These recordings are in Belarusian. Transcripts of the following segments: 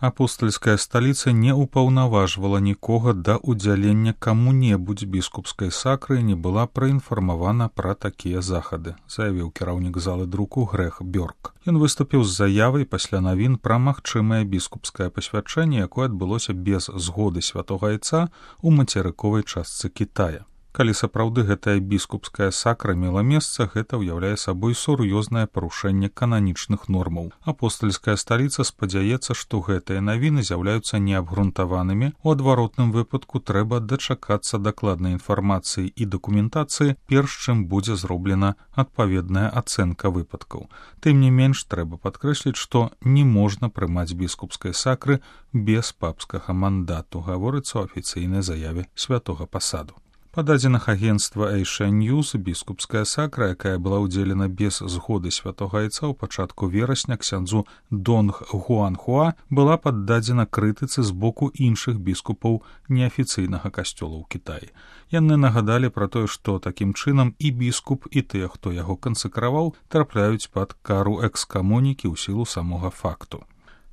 Апостальская сталіца не ўпаўнаважвала нікога да ўдзялення каму-небудзь біскупскай сакры і не была праінфармавана пра такія захады, заявіў кіраўнік залы друку Грэх Бёрк. Ён выступіў з заявай пасля навін пра магчымае біскупскае пасвячэнне, якое адбылося без згоды святога айца ў мацерыковай частцы Кітая. Калі сапраўды гэтая біскупская сакра мела месца, гэта ўяўляе сабой сур'ёзнае парушэнне кананічных нормаў. Апостальская сталіца спадзяецца, што гэтыя навіны з'яўляюцца неабгрунтаванымі. У адваротным выпадку трэба дачакацца дакладнай інфармацыі і дакументацыі, перш чым будзе зроблена адпаведная ацэнка выпадкаў. Тым не менш, трэба падкрэсліць, што не можна прымаць біскупскай сакры без папскага мандату, гаворыцца ў афіцыйнай заяве святога пасаду. Па дадзеных агенцтва Asia News, біскупская сакра, якая была ўдзелена без згоды святога айца ў пачатку верасня ксяндзу Донг Гуанхуа, была паддадзена крытыцы з боку іншых біскупаў неафіцыйнага касцёла ў Кітаі. Яны нагадалі пра тое, што такім чынам і біскуп, і тыя, хто яго кансакраваў, трапляюць пад кару экскамунікі ў сілу самога факту.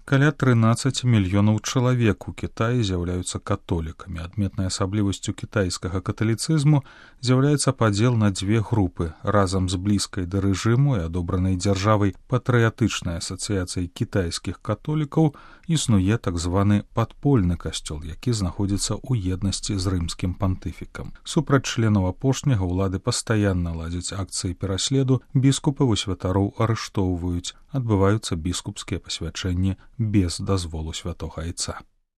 Каля 13 мільёнаў чалавек у Кітаі з'яўляюцца католікамі. Адметнай асаблівасцю кітайскага каталіцызму з'яўляецца падзел на дзве групы. Разам з блізкай да рэжыму і адобранай дзяржавай патрыятычнай асацыяцыяй кітайскіх католікаў існуе так званы падпольны касцёл, які знаходзіцца ў еднасці з рымскім пантыфікам. Супраць членаў апошняга ўлады пастаянна ладзяць акцыі пераследу, біскупаў і святароў арыштоўваюць, адбываюцца біскупскія пасвячэнні без дазволу святога айца.